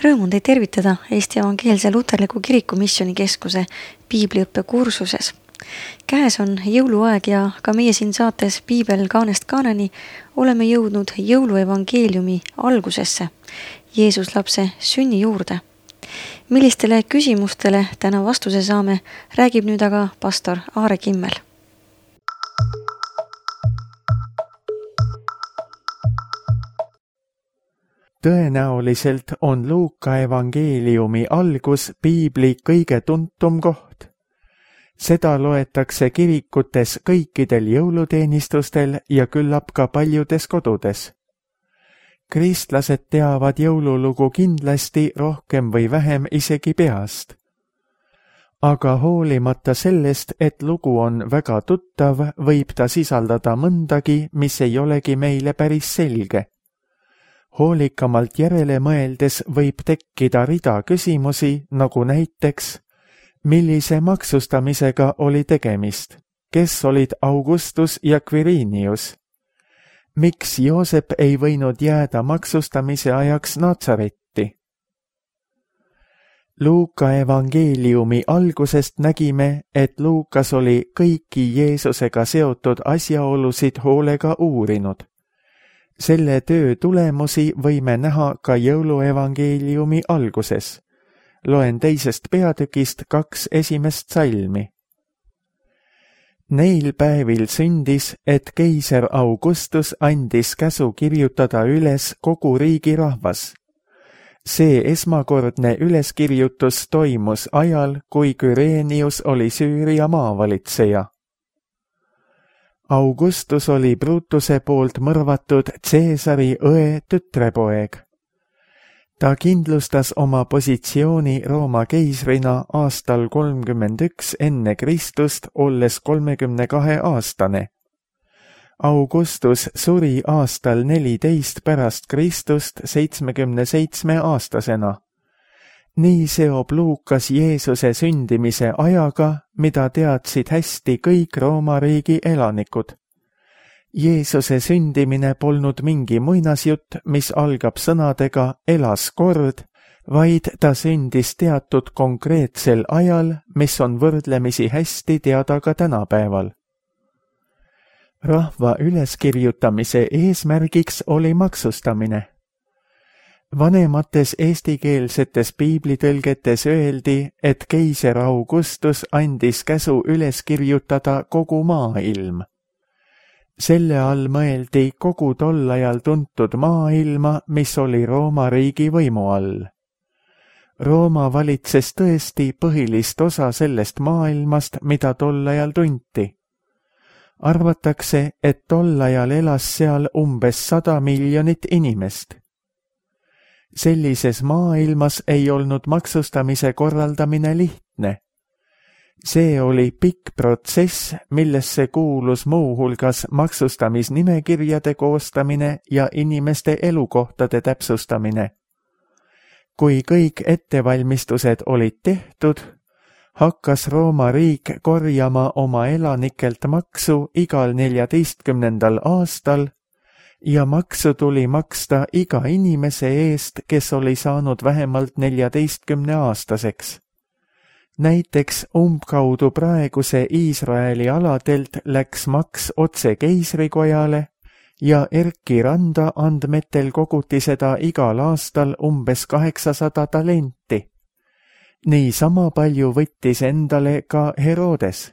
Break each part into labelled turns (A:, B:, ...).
A: Rõõm on teid tervitada Eesti Evangeelse Luterliku Kiriku Missioonikeskuse piibliõppe kursuses. Käes on jõuluaeg ja ka meie siin saates Piibel kaanest kaaneni oleme jõudnud jõuluevangeeliumi algusesse, Jeesus lapse sünni juurde. Millistele küsimustele täna vastuse saame, räägib nüüd aga pastor Aare Kimmel.
B: Tõenäoliselt on Luuka evangeeliumi algus piibli kõige tuntum koht. Seda loetakse kirikutes kõikidel jõuluteenistustel ja küllap ka paljudes kodudes. Kristlased teavad jõululugu kindlasti rohkem või vähem isegi peast. Aga hoolimata sellest, et lugu on väga tuttav, võib ta sisaldada mõndagi, mis ei olegi meile päris selge. Hoolikamalt järele mõeldes võib tekkida rida küsimusi, nagu näiteks, millise maksustamisega oli tegemist, kes olid Augustus ja Quirinius, miks Joosep ei võinud jääda maksustamise ajaks Natsaretti. Luuka evangeeliumi algusest nägime, et Luukas oli kõiki Jeesusega seotud asjaolusid hoolega uurinud. Selle töö tulemusi võime näha ka jõuluevangeeliumi alguses. Loen 2. peatükist 2 esimest salmi. Neil päevil sündis, et keiser Augustus andis käsu kirjutada üles kogu riigi rahvas. See esmakordne üleskirjutus toimus ajal, kui Quirinius oli Süüria maavalitseja. Augustus oli Brutuse poolt mõrvatud Caesari õe tütrepoeg. Ta kindlustas oma positsiooni Rooma keisrina aastal 31 enne Kristust, olles 32 aastane. Augustus suri aastal 14 pärast Kristust 77 aastasena. Nii seob Luukas Jeesuse sündimise ajaga, mida teadsid hästi kõik Rooma riigi elanikud. Jeesuse sündimine polnud mingi muinasjutt, mis algab sõnadega elas kord, vaid ta sündis teatud konkreetsel ajal, mis on võrdlemisi hästi teada ka tänapäeval. Rahva üleskirjutamise eesmärgiks oli maksustamine. Vanemates eestikeelsetes piiblitõlgetes öeldi, et keiser Augustus andis käsu üles kirjutada kogu maailm. Selle all mõeldi kogu tol ajal tuntud maailma, mis oli Rooma riigi võimu all. Rooma valitses tõesti põhilist osa sellest maailmast, mida tol ajal tunti. Arvatakse, et tol ajal elas seal umbes 100 miljonit inimest. Sellises maailmas ei olnud maksustamise korraldamine lihtne. See oli pikk protsess, millesse kuulus muuhulgas maksustamisnimekirjade koostamine ja inimeste elukohtade täpsustamine. Kui kõik ettevalmistused olid tehtud, hakkas Rooma riik korjama oma elanikelt maksu igal 14. aastal, ja maksu tuli maksta iga inimese eest, kes oli saanud vähemalt 14-aastaseks. Näiteks umbkaudu praeguse Iisraeli aladelt läks maks otse keisrikojale ja Erki Randa andmetel koguti seda igal aastal umbes 800 talenti. Nii sama palju võttis endale ka Herodes.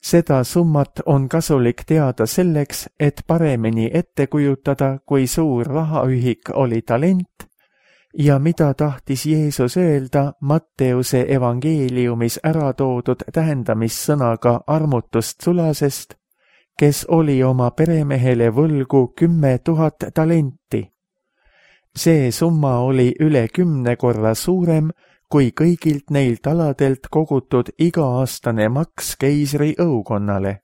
B: Seda summat on kasulik teada selleks, et paremini ette kujutada, kui suur rahaühik oli talent ja mida tahtis Jeesus öelda Matteuse evangeeliumis ära toodud tähendamissõnaga armutust sulasest, kes oli oma peremehele võlgu 10 000 talenti. See summa oli üle 10 korra suurem, kui kõigilt neilt aladelt kogutud iga-aastane maks keisri õukonnale.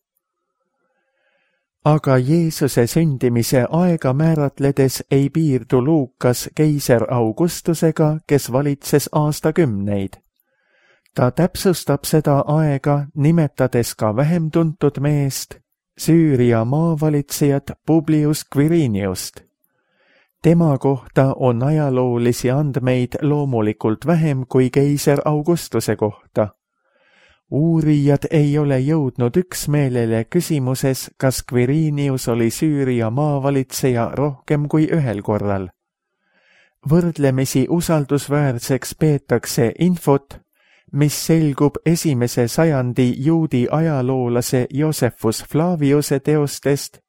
B: Aga Jeesuse sündimise aega määratledes ei piirdu Luukas keiser Augustusega, kes valitses aastakümneid. Ta täpsustab seda aega, nimetades ka vähem tuntud meest, Süüria maavalitsejat Publius Quiriniust. Tema kohta on ajaloolisi andmeid loomulikult vähem kui keiser Augustuse kohta. Uurijad ei ole jõudnud üksmeelele küsimuses, kas Quirinius oli Süüria maavalitseja rohkem kui ühel korral. Võrdlemisi usaldusväärseks peetakse infot, mis selgub 1. sajandi juudi ajaloolase Josephus Flaviuse teostest,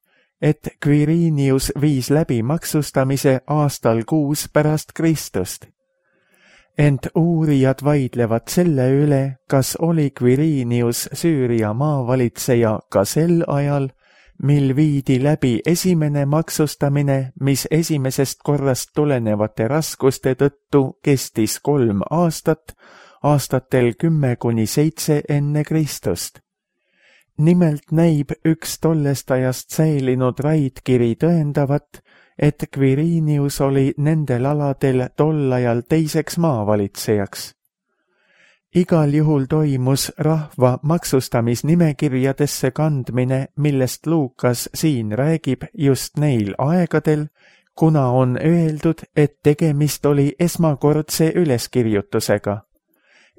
B: et Quirinius viis läbi maksustamise aastal 6 pärast Kristust. Ent uurijad vaidlevad selle üle, kas oli Quirinius Süüria maavalitseja ka sel ajal, mil viidi läbi esimene maksustamine, mis esimesest korrast tulenevate raskuste tõttu kestis 3 aastat, aastatel 10–7 enne Kristust. Nimelt näib üks tollest ajast säilinud raidkiri tõendavat, et Quirinius oli nendel aladel tol ajal teiseks maavalitsejaks. Igal juhul toimus rahva maksustamisnimekirjadesse kandmine, millest Luukas siin räägib just neil aegadel, kuna on öeldud, et tegemist oli esmakordse üleskirjutusega.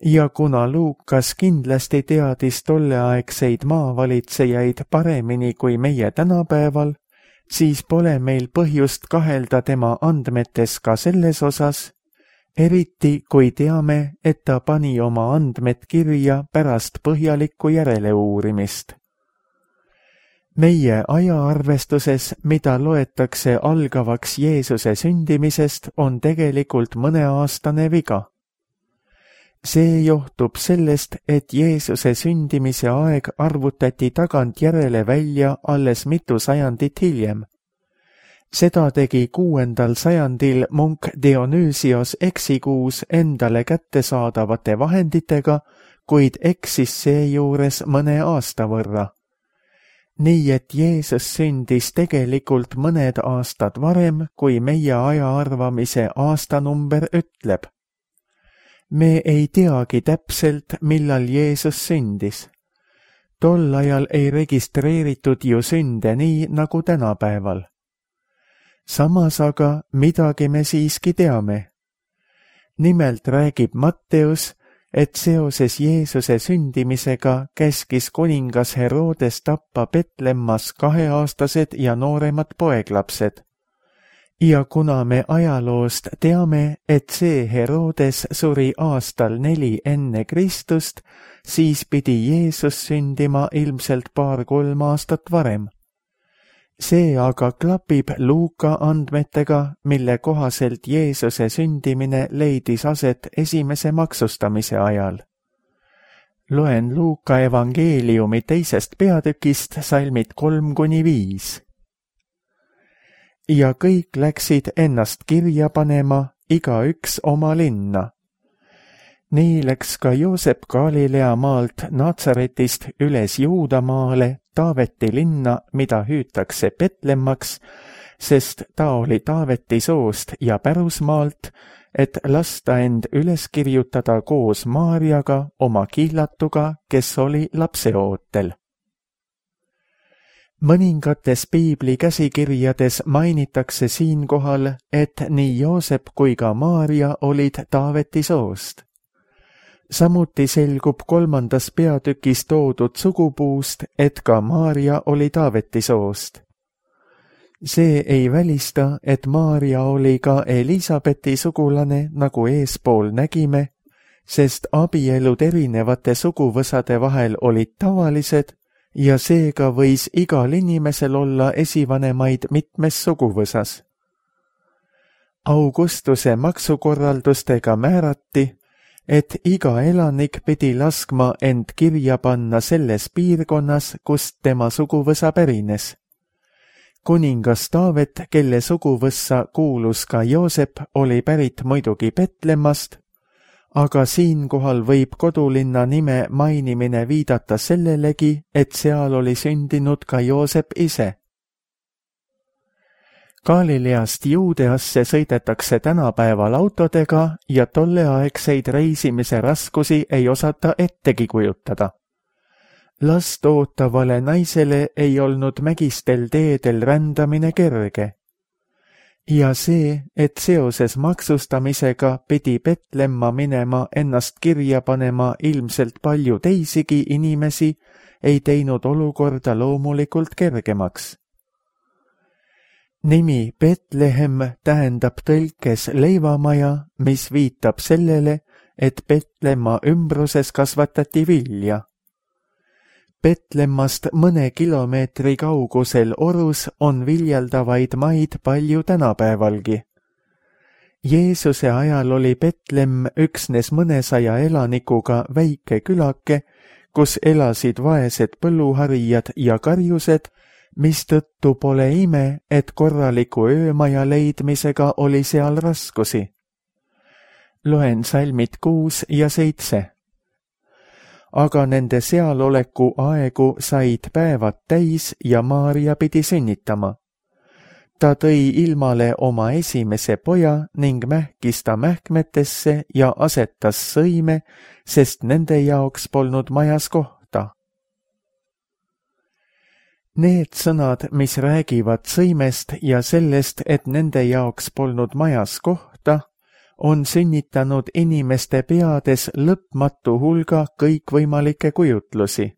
B: Ja kuna Luukas kindlasti teadis tolleaegseid maavalitsejaid paremini kui meie tänapäeval, siis pole meil põhjust kahelda tema andmetes ka selles osas, eriti kui teame, et ta pani oma andmed kirja pärast põhjalikku järeleuurimist. Meie ajaarvestuses, mida loetakse algavaks Jeesuse sündimisest, on tegelikult mõneaastane viga. See johtub sellest, et Jeesuse sündimise aeg arvutati tagantjärele välja alles mitu sajandit hiljem. Seda tegi 6. sajandil munk Dionüüsios eksikuus endale kättesaadavate vahenditega, kuid eksis seejuures mõne aasta võrra. Nii et Jeesus sündis tegelikult mõned aastad varem, kui meie aja arvamise aastanumber ütleb. Me ei teagi täpselt, millal Jeesus sündis. Tol ajal ei registreeritud ju sünde nii nagu tänapäeval. Samas aga midagi me siiski teame. Nimelt räägib Matteus, et seoses Jeesuse sündimisega käskis kuningas Herodes tappa Betlemmas 2-aastased ja nooremad poeglapsed. Ja kuna me ajaloost teame, et see Herodes suri aastal 4 enne Kristust, siis pidi Jeesus sündima ilmselt 2–3 aastat varem. See aga klapib Luuka andmetega, mille kohaselt Jeesuse sündimine leidis aset esimese maksustamise ajal. Loen Luuka evangeeliumi 2. peatükist salmid 3–5. Ja kõik läksid ennast kirja panema, igaüks oma linna. Nii läks ka Joosep Galilea maalt Natsaretist üles Juudamaale, Taaveti linna, mida hüütakse Betlemmaks, sest ta oli Taaveti soost ja pärusmaalt, et lasta end üles kirjutada koos Maarjaga, oma kihlatuga, kes oli lapseootel. Mõningates piibli käsikirjades mainitakse siinkohal, et nii Joosep kui ka Maarja olid Taaveti soost. Samuti selgub 3. peatükis toodud sugupuust, et ka Maarja oli Taaveti soost. See ei välista, et Maarja oli ka Elisabethi sugulane, nagu eespool nägime, sest abielud erinevate suguvõsade vahel olid tavalised, ja seega võis igal inimesel olla esivanemaid mitmes suguvõsas. Augustuse maksukorraldustega määrati, et iga elanik pidi laskma end kirja panna selles piirkonnas, kust tema suguvõsa pärines. Kuningas Taavet, kelle suguvõssa kuulus ka Joosep, oli pärit muidugi Betlemmast, aga siinkohal võib kodulinna nime mainimine viidata sellelegi, et seal oli sündinud ka Joosep ise. Galileast Juudeasse sõidetakse tänapäeval autodega ja tolleaegseid reisimise raskusi ei osata ettegi kujutada. Last ootavale naisele ei olnud mägistel teedel rändamine kerge. ja see, et seoses maksustamisega pidi Petlemma minema ennast kirja panema ilmselt palju teisigi inimesi, ei teinud olukorda loomulikult kergemaks. Nimi Betlehem tähendab tõlkes leivamaja, mis viitab sellele, et Petlemma ümbruses kasvatati vilja. Petlemmast mõne kilomeetri kaugusel orus on viljeldavaid maid palju tänapäevalgi. Jeesuse ajal oli Petlemm üksnes mõnesaja elanikuga väike külake, kus elasid vaesed põlluharijad ja karjused, mistõttu pole ime, et korraliku öömaja leidmisega oli seal raskusi. Loen salmid 6 ja 7. Aga nende sealoleku aegu said päevad täis ja Maarja pidi sünnitama. Ta tõi ilmale oma esimese poja ning mähkis ta mähkmetesse ja asetas sõime, sest nende jaoks polnud majas kohta. Need sõnad, mis räägivad sõimest ja sellest, et nende jaoks polnud majas kohta, on sünnitanud inimeste peades lõpmatu hulga kõikvõimalikke kujutlusi.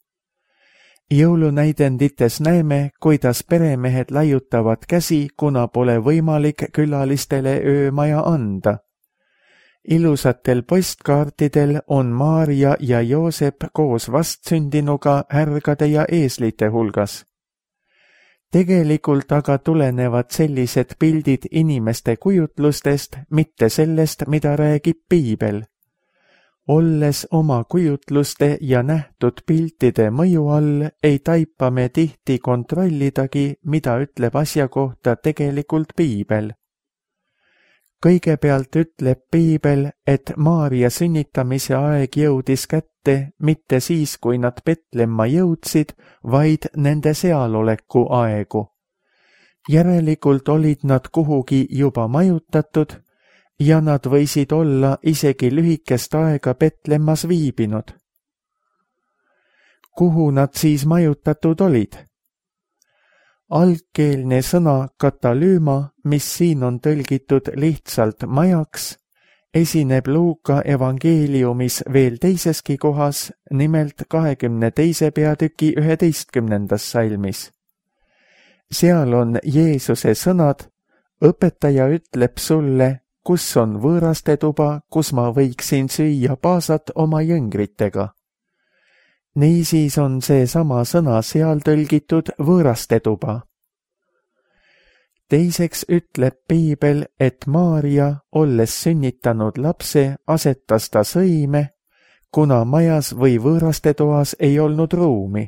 B: Jõulunäidendites näeme, kuidas peremehed laiutavad käsi, kuna pole võimalik külalistele öömaja anda. Ilusatel postkaartidel on Maarja ja Joosep koos vastsündinuga härgade ja eeslite hulgas. Tegelikult aga tulenevad sellised pildid inimeste kujutlustest, mitte sellest, mida räägib piibel. Olles oma kujutluste ja nähtud piltide mõju all, ei taipa me tihti kontrollidagi, mida ütleb asja kohta tegelikult piibel. Kõigepealt ütleb piibel, et Maarja sünnitamise aeg jõudis kätte mitte siis, kui nad Petlemma jõudsid, vaid nende sealoleku aegu. Järelikult olid nad kuhugi juba majutatud ja nad võisid olla isegi lühikest aega Petlemmas viibinud. Kuhu nad siis majutatud olid? Algkeelne sõna katalüüma, mis siin on tõlgitud lihtsalt majaks, esineb Luuka evangeeliumis veel teiseski kohas, nimelt 22. peatüki 11. salmis. Seal on Jeesuse sõnad, õpetaja ütleb sulle, kus on võõrastetuba, kus ma võiksin süüa paasat oma jõngritega. Niisiis on see sama sõna seal tõlgitud võõrastetuba. Teiseks ütleb piibel, et Maarja, olles sünnitanud lapse, asetas ta sõime, kuna majas või võõrastetoas ei olnud ruumi.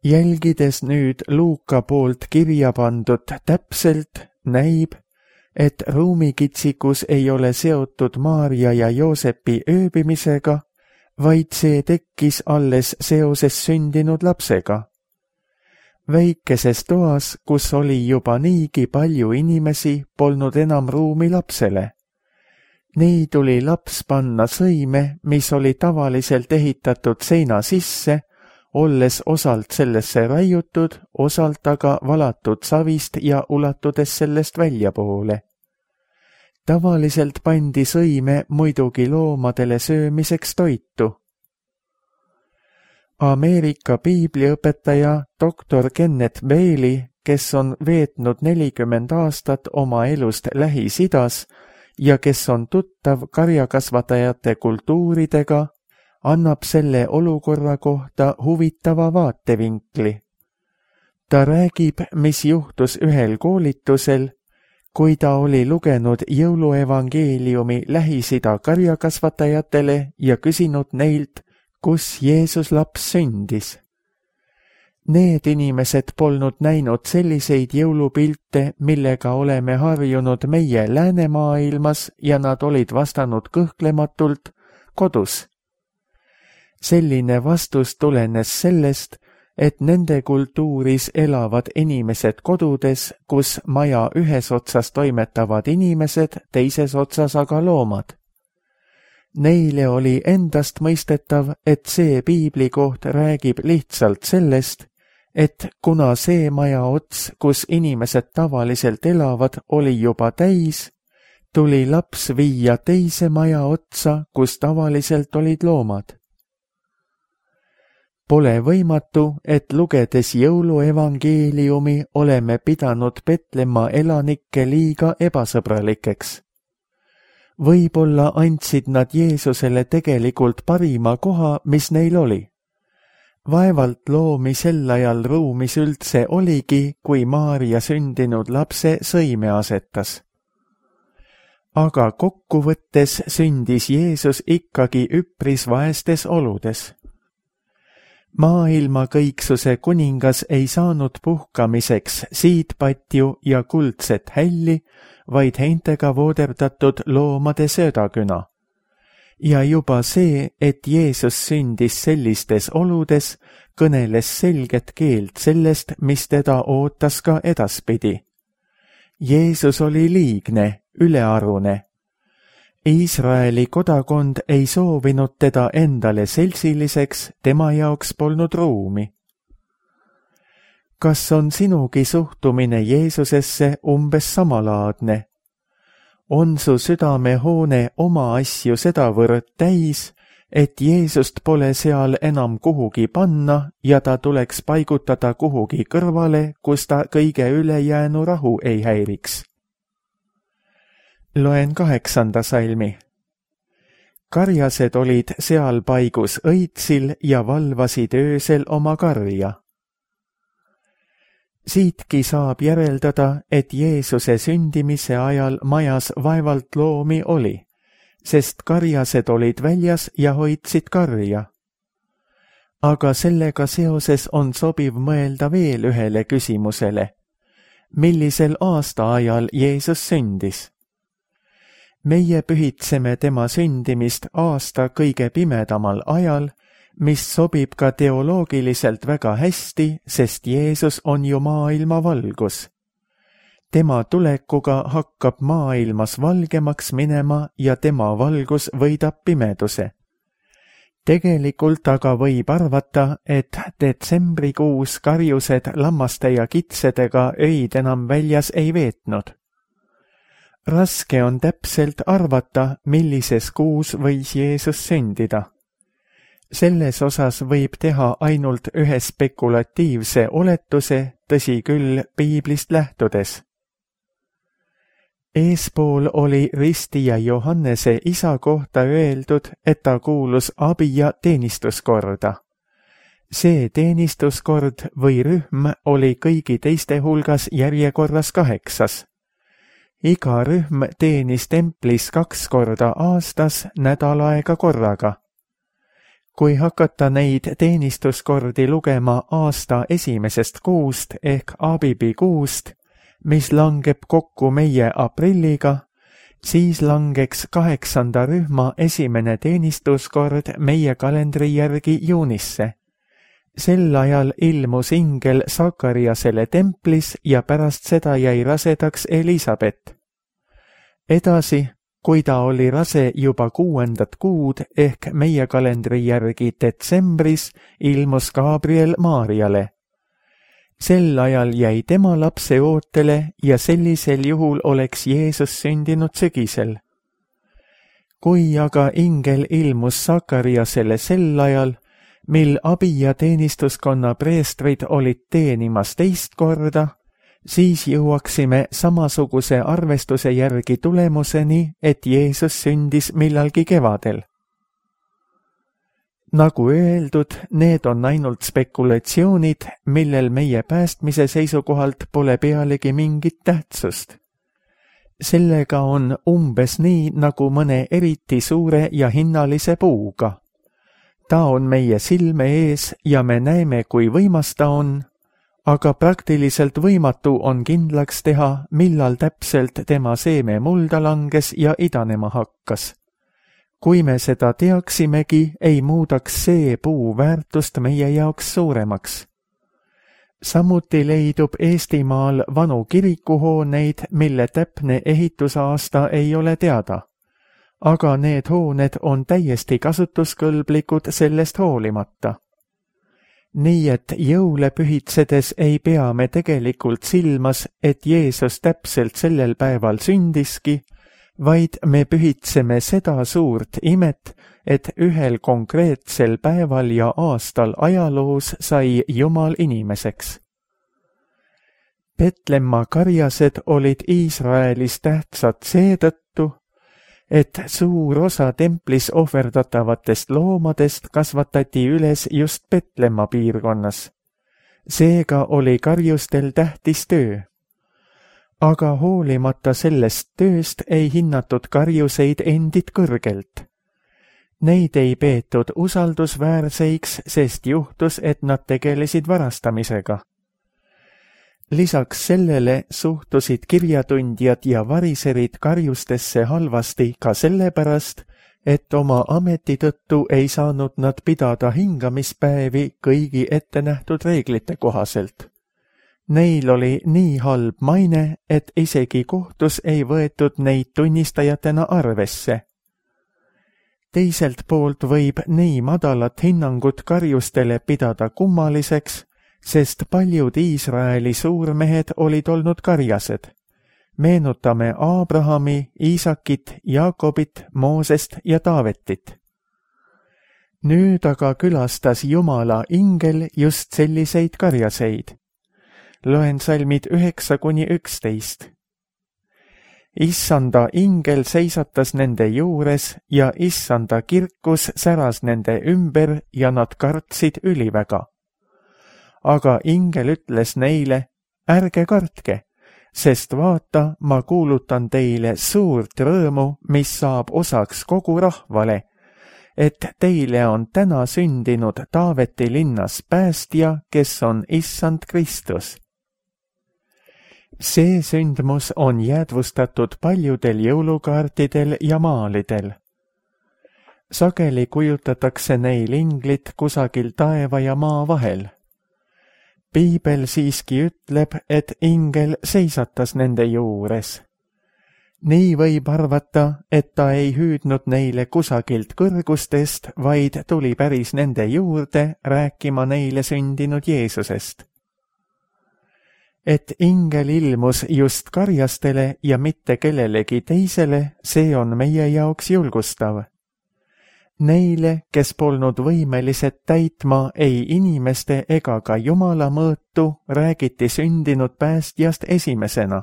B: Jälgides nüüd Luuka poolt kirja pandud täpselt, näib, et ruumikitsikus ei ole seotud Maarja ja Joosepi ööbimisega, vaid see tekkis alles seoses sündinud lapsega. Väikeses toas, kus oli juba niigi palju inimesi, polnud enam ruumi lapsele. Nii tuli laps panna sõime, mis oli tavaliselt ehitatud seina sisse, olles osalt sellesse raiutud, osalt aga valatud savist ja ulatudes sellest väljapoole. Tavaliselt pandi sõime muidugi loomadele söömiseks toitu. Ameerika piibliõpetaja doktor Kenneth Bailey, kes on veetnud 40 aastat oma elust Lähis-Idas ja kes on tuttav karjakasvatajate kultuuridega, annab selle olukorra kohta huvitava vaatevinkli. Ta räägib, mis juhtus ühel koolitusel, kui ta oli lugenud jõuluevangeeliumi Lähis-Ida karjakasvatajatele ja küsinud neilt, kus Jeesus laps sündis. Need inimesed polnud näinud selliseid jõulupilte, millega oleme harjunud meie läänemaailmas ja nad olid vastanud kõhklematult kodus. Selline vastus tulenes sellest, et nende kultuuris elavad inimesed kodudes, kus maja ühes otsas toimetavad inimesed, teises otsas aga loomad. Neile oli endast mõistetav, et see piiblikoht räägib lihtsalt sellest, et kuna see maja ots, kus inimesed tavaliselt elavad, oli juba täis, tuli laps viia teise maja otsa, kus tavaliselt olid loomad. Pole võimatu, et lugedes jõuluevangeeliumi oleme pidanud Petlemma elanikke liiga ebasõbralikeks. Võib-olla andsid nad Jeesusele tegelikult parima koha, mis neil oli. Vaevalt loomi sel ajal ruumis üldse oligi, kui Maarja sündinud lapse sõime asetas. Aga kokkuvõttes sündis Jeesus ikkagi üpris vaestes oludes. Maailma kõiksuse kuningas ei saanud puhkamiseks siidpatju ja kuldset hälli, vaid heintega vooderdatud loomade söödaküna. Ja juba see, et Jeesus sündis sellistes oludes, kõneles selget keelt sellest, mis teda ootas ka edaspidi. Jeesus oli liigne, ülearune. Iisraeli kodakond ei soovinud teda endale seltsiliseks, tema jaoks polnud ruumi. Kas on sinugi suhtumine Jeesusesse umbes samalaadne? On su südamehoone oma asju sedavõrd täis, et Jeesust pole seal enam kuhugi panna ja ta tuleks paigutada kuhugi kõrvale, kus ta kõige ülejäänu rahu ei häiriks? Loen 8. salmi. Karjased olid seal paigus õitsil ja valvasid öösel oma karja. Siitki saab järeldada, et Jeesuse sündimise ajal majas vaevalt loomi oli, sest karjased olid väljas ja hoidsid karja. Aga sellega seoses on sobiv mõelda veel ühele küsimusele. Millisel aastaajal Jeesus sündis? Meie pühitseme tema sündimist aasta kõige pimedamal ajal, mis sobib ka teoloogiliselt väga hästi, sest Jeesus on ju maailma valgus. Tema tulekuga hakkab maailmas valgemaks minema ja tema valgus võidab pimeduse. Tegelikult aga võib arvata, et detsembrikuus karjused lammaste ja kitsedega öid enam väljas ei veetnud. Raske on täpselt arvata, millises kuus võis Jeesus sündida. Selles osas võib teha ainult ühe spekulatiivse oletuse, tõsi küll, piiblist lähtudes. Eespool oli ristija Johannese isa kohta öeldud, et ta kuulus abija teenistuskorda. See teenistuskord või rühm oli kõigi teiste hulgas järjekorras 8. Iga rühm teenis templis 2 korda aastas nädal aega korraga. Kui hakata neid teenistuskordi lugema aasta esimesest kuust ehk Abibi kuust, mis langeb kokku meie aprilliga, siis langeks 8. rühma esimene teenistuskord meie kalendri järgi juunisse. Sel ajal ilmus ingel Sakariasele templis ja pärast seda jäi rasedaks Elisabet. Edasi, kui ta oli rase juba 6. kuud ehk meie kalendri järgi detsembris, ilmus Gabriel Maarjale. Sel ajal jäi tema lapse ootele ja sellisel juhul oleks Jeesus sündinud sügisel. Kui aga ingel ilmus Sakariasele sel ajal, mil abi- ja teenistuskonna preestrid olid teenimas 2. korda, siis jõuaksime samasuguse arvestuse järgi tulemuseni, et Jeesus sündis millalgi kevadel. Nagu öeldud, need on ainult spekulatsioonid, millel meie päästmise seisukohalt pole pealegi mingit tähtsust. Sellega on umbes nii nagu mõne eriti suure ja hinnalise puuga. Ta on meie silme ees ja me näeme, kui võimas ta on, aga praktiliselt võimatu on kindlaks teha, millal täpselt tema seeme mulda langes ja idanema hakkas. Kui me seda teaksimegi, ei muudaks see puu väärtust meie jaoks suuremaks. Samuti leidub Eestimaal vanu kirikuhooneid, mille täpne ehitusaasta ei ole teada. Aga need hooned on täiesti kasutuskõlblikud sellest hoolimata. Nii et jõule pühitsedes ei pea me tegelikult silmas, et Jeesus täpselt sellel päeval sündiski, vaid me pühitseme seda suurt imet, et ühel konkreetsel päeval ja aastal ajaloos sai Jumal inimeseks. Petlemma karjased olid Iisraelis tähtsad seetõttu, et suur osa templis ohverdatavatest loomadest kasvatati üles just Petlemma piirkonnas. Seega oli karjustel tähtis töö. Aga hoolimata sellest tööst ei hinnatud karjuseid endid kõrgelt. Neid ei peetud usaldusväärseiks, sest juhtus, et nad tegelesid varastamisega. Lisaks sellele suhtusid kirjatundjad ja variserid karjustesse halvasti ka sellepärast, et oma ameti tõttu ei saanud nad pidada hingamispäevi kõigi ettenähtud reeglite kohaselt. Neil oli nii halb maine, et isegi kohtus ei võetud neid tunnistajatena arvesse. Teiselt poolt võib nii madalat hinnangut karjustele pidada kummaliseks, sest paljud Iisraeli suurmehed olid olnud karjased. Meenutame Aabrahami, Iisakit, Jaakobit, Moosest ja Taavetit. Nüüd aga külastas Jumala ingel just selliseid karjaseid. Loen salmid 9–11. Issanda ingel seisatas nende juures ja issanda kirkus säras nende ümber ja nad kartsid üliväga. Aga ingel ütles neile, ärge kartke, sest vaata, ma kuulutan teile suurt rõõmu, mis saab osaks kogu rahvale, et teile on täna sündinud Taaveti linnas päästja, kes on issand Kristus. See sündmus on jäädvustatud paljudel jõulukaartidel ja maalidel. Sageli kujutatakse neil inglit kusagil taeva ja maa vahel. Piibel siiski ütleb, et ingel seisatas nende juures. Nii võib arvata, et ta ei hüüdnud neile kusagilt kõrgustest, vaid tuli päris nende juurde rääkima neile sündinud Jeesusest. Et ingel ilmus just karjastele ja mitte kellelegi teisele, see on meie jaoks julgustav. Neile, kes polnud võimelised täitma ei inimeste ega ka Jumala mõõtu, räägiti sündinud päästjast esimesena.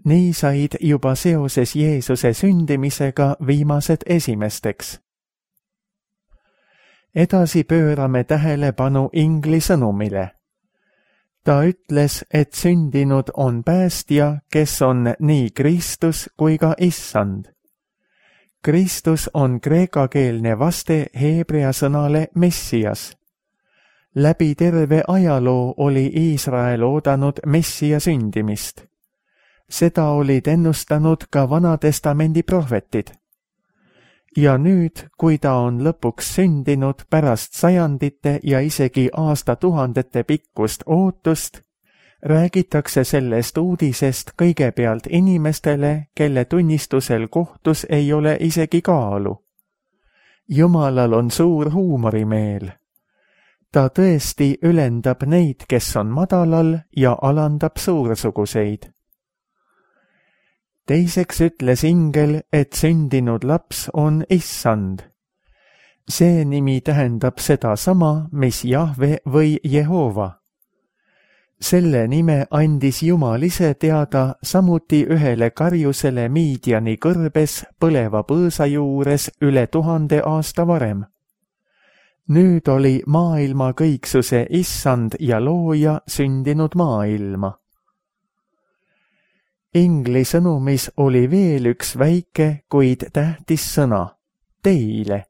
B: Nii said juba seoses Jeesuse sündimisega viimased esimesteks. Edasi pöörame tähelepanu ingli sõnumile. Ta ütles, et sündinud on päästja, kes on nii Kristus kui ka issand. Kristus on kreekakeelne vaste heebrea sõnale Messias. Läbi terve ajaloo oli Iisrael oodanud Messia sündimist. Seda olid ennustanud ka Vanatestamendi prohvetid. Ja nüüd, kui ta on lõpuks sündinud pärast sajandite ja isegi aastatuhandete pikkust ootust, räägitakse sellest uudisest kõigepealt inimestele, kelle tunnistusel kohtus ei ole isegi kaalu. Jumalal on suur huumorimeel. Ta tõesti ülendab neid, kes on madalal ja alandab suursuguseid. Teiseks ütles ingel, et sündinud laps on issand. See nimi tähendab sedasama, mis Jahve või Jehova. Selle nime andis Jumal ise teada samuti ühele karjusele Miidiani kõrbes põleva põõsa juures üle 1000 aasta varem. Nüüd oli maailma kõiksuse issand ja looja sündinud maailma. Ingli sõnumis oli veel üks väike, kuid tähtis sõna, teile.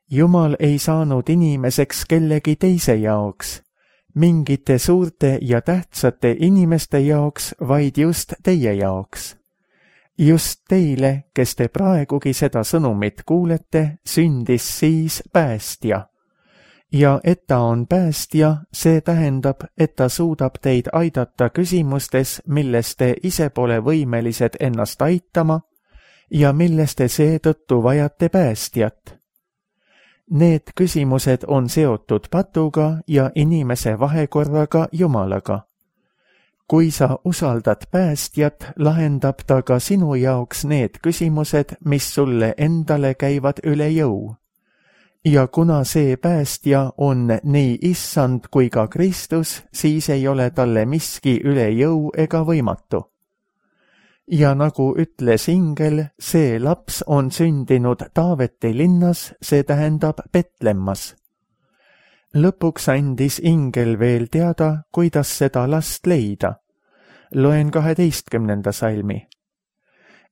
B: Jumal ei saanud inimeseks kellegi teise jaoks, mingite suurte ja tähtsate inimeste jaoks, vaid just teie jaoks. Just teile, kes te praegugi seda sõnumit kuulete, sündis siis päästja. Ja et ta on päästja, see tähendab, et ta suudab teid aidata küsimustes, milles te ise pole võimelised ennast aitama ja milles te seetõttu vajate päästjat. Need küsimused on seotud patuga ja inimese vahekorraga Jumalaga. Kui sa usaldad päästjat, lahendab ta ka sinu jaoks need küsimused, mis sulle endale käivad üle jõu. Ja kuna see päästja on nii issand kui ka Kristus, siis ei ole talle miski üle jõu ega võimatu. Ja nagu ütles ingel, see laps on sündinud Taaveti linnas, see tähendab Betlemmas. Lõpuks andis ingel veel teada, kuidas seda last leida. Loen 12. salmi.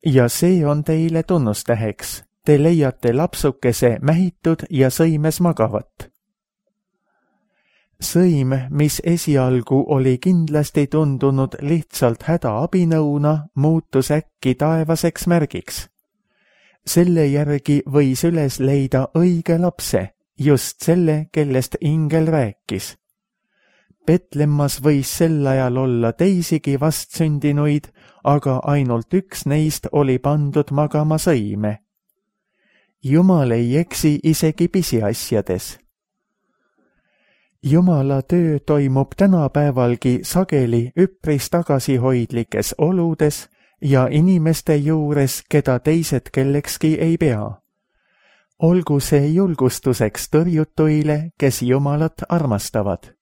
B: Ja see on teile tunnustäheks. Te leiate lapsukese mähitud ja sõimes magavat. Sõim, mis esialgu oli kindlasti tundunud lihtsalt hädaabinõuna, muutus äkki taevaseks märgiks. Selle järgi võis üles leida õige lapse, just selle, kellest ingel rääkis. Betlemmas võis sel ajal olla teisigi vastsündinuid, aga ainult üks neist oli pandud magama sõime. Jumal ei eksi isegi pisiasjades. Jumala töö toimub tänapäevalgi sageli üpris tagasihoidlikes oludes ja inimeste juures, keda teised kellekski ei pea. Olgu see julgustuseks tõrjutuile, kes Jumalat armastavad.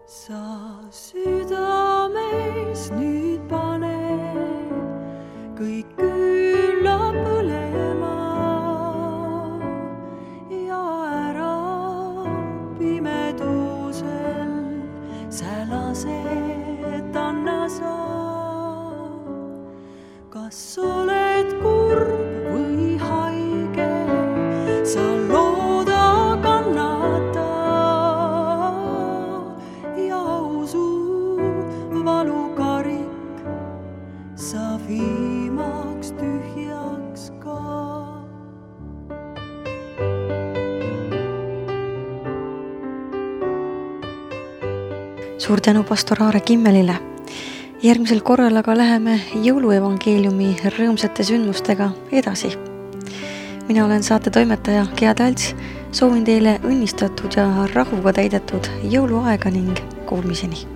C: Sa südames nüüd pane kõik külla põlema ja ära pimedusel sälased anna sa. Kas oled kurb või haige, sa looda kannata. Valukarik sa viimaks tühjaks ka.
A: Suur tänu pastor Aare Kimmelile. Järgmisel korral aga läheme jõuluevangeeliumi rõõmsate sündmustega edasi. Mina olen saate toimetaja Gea Talts. Soovin teile õnnistatud ja rahuga täidetud jõuluaega ning kuulmiseni.